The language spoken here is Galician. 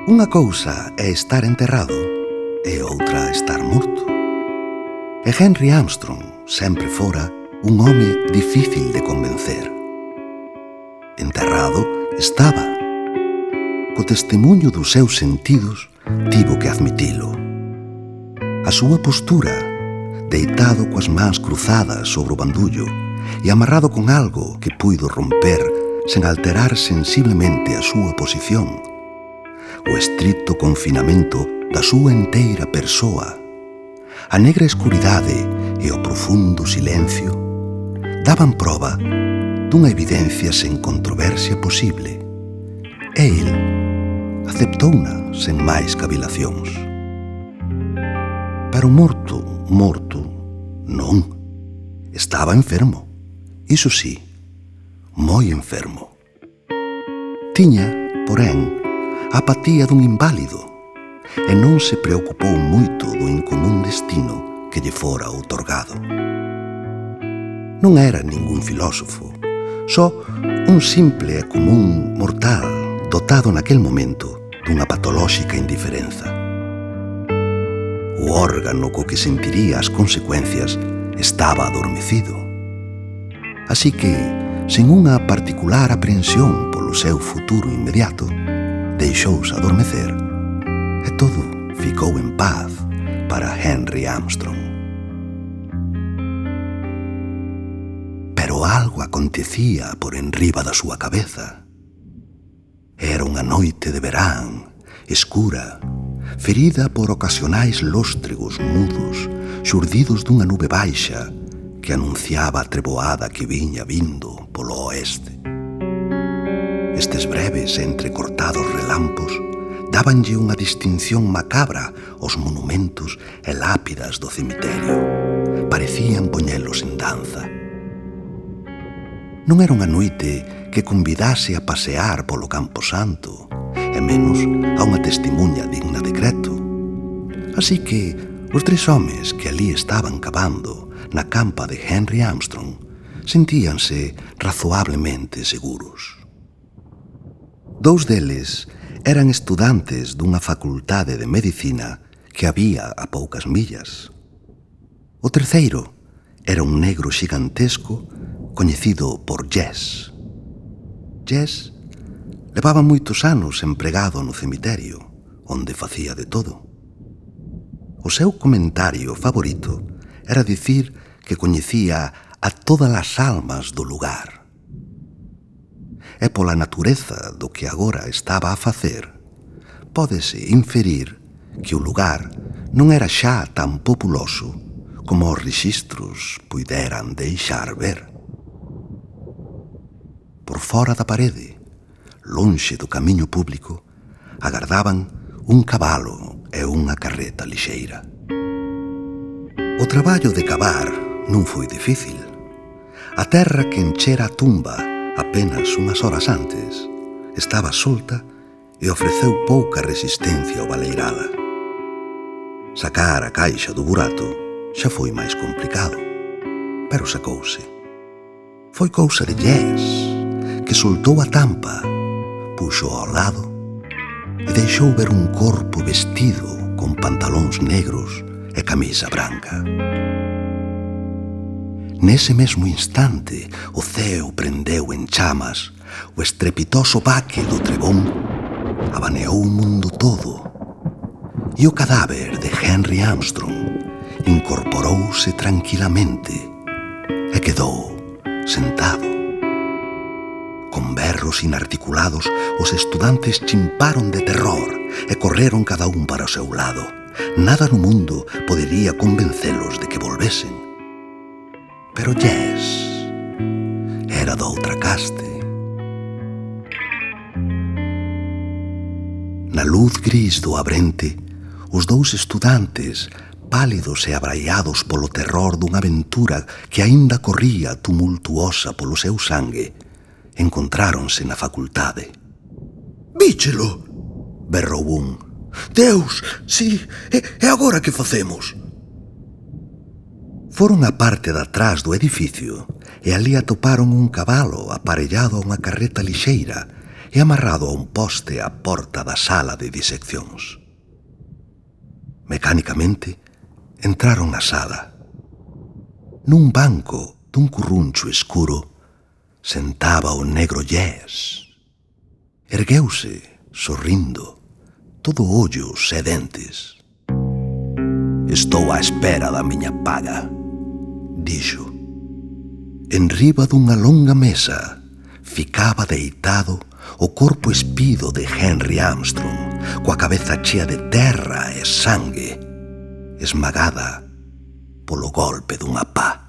Unha cousa é estar enterrado e outra estar morto. E Henry Armstrong sempre fora un home difícil de convencer. Enterrado estaba. Co testemunho dos seus sentidos, tivo que admitilo. A súa postura, deitado coas mans cruzadas sobre o bandullo e amarrado con algo que puido romper sen alterar sensiblemente a súa posición, o estricto confinamento da súa enteira persoa, a negra escuridade e o profundo silencio daban proba dunha evidencia sen controversia posible. E el aceptouna sen máis cavilacións. Pero morto, non. Estaba enfermo. Iso sí, moi enfermo. Tiña, porén, a apatía dun inválido e non se preocupou moito do incomún destino que lle fora outorgado. Non era ningún filósofo, só un simple e común mortal dotado naquel momento dunha patolóxica indiferenza. O órgano co que sentiría as consecuencias estaba adormecido. Así que, sen unha particular aprensión polo seu futuro inmediato, deixouse adormecer e todo ficou en paz para Henry Armstrong. Pero algo acontecía por enriba da súa cabeza. Era unha noite de verán, escura, ferida por ocasionais lóstregos mudos xurdidos dunha nube baixa que anunciaba a treboada que viña vindo polo oeste. Estes breves e entrecortados relampos dábanlle unha distinción macabra aos monumentos e lápidas do cemiterio. Parecían poñelos en danza. Non era unha noite que convidase a pasear polo Camposanto, e menos a unha testemunha digna de Creto. Así que os tres homes que ali estaban cavando na campa de Henry Armstrong sentíanse razoablemente seguros. Dous deles eran estudantes dunha facultade de medicina que había a poucas millas. O terceiro era un negro xigantesco coñecido por Jess. Jess levaba moitos anos empregado no cemiterio, onde facía de todo. O seu comentario favorito era dicir que coñecía a todas as almas do lugar. E pola natureza do que agora estaba a facer, pódese inferir que o lugar non era xa tan populoso como os rexistros puideran deixar ver. Por fora da parede, lonxe do camiño público, agardaban un cabalo e unha carreta lixeira. O traballo de cavar non foi difícil. A terra que enchera a tumba apenas unhas horas antes estaba solta e ofreceu pouca resistencia ao baleirala. Sacar a caixa do burato xa foi máis complicado, pero sacouse. Foi cousa de Jess, que soltou a tampa, puxo ao lado e deixou ver un corpo vestido con pantalóns negros e camisa branca. Nese mesmo instante, o ceo prendeu en chamas, o estrepitoso baque do trebón abaneou o mundo todo e o cadáver de Henry Armstrong incorporouse tranquilamente e quedou sentado. Con berros inarticulados, os estudantes chimparon de terror e correron cada un para o seu lado. Nada no mundo podería convencelos de que volvesen. Pero Jess era doutra caste. Na luz gris do abrente, os dous estudantes, pálidos e abraiados polo terror dunha aventura que aínda corría tumultuosa polo seu sangue, encontráronse na facultade. «Víchelo!» berrou un. «Deus, si, e agora que facemos?» Foron á parte de atrás do edificio e ali atoparon un cabalo aparellado a unha carreta lixeira e amarrado a un poste á porta da sala de diseccións. Mecánicamente, entraron na sala. Nun banco dun curruncho escuro sentaba o negro Yes. Ergueuse, sorrindo, todo ollos e dentes. «Estou á espera da miña paga», dixo. Enriba dunha longa mesa ficaba deitado o corpo espido de Henry Armstrong, coa cabeza chea de terra e sangue, esmagada polo golpe dunha pá.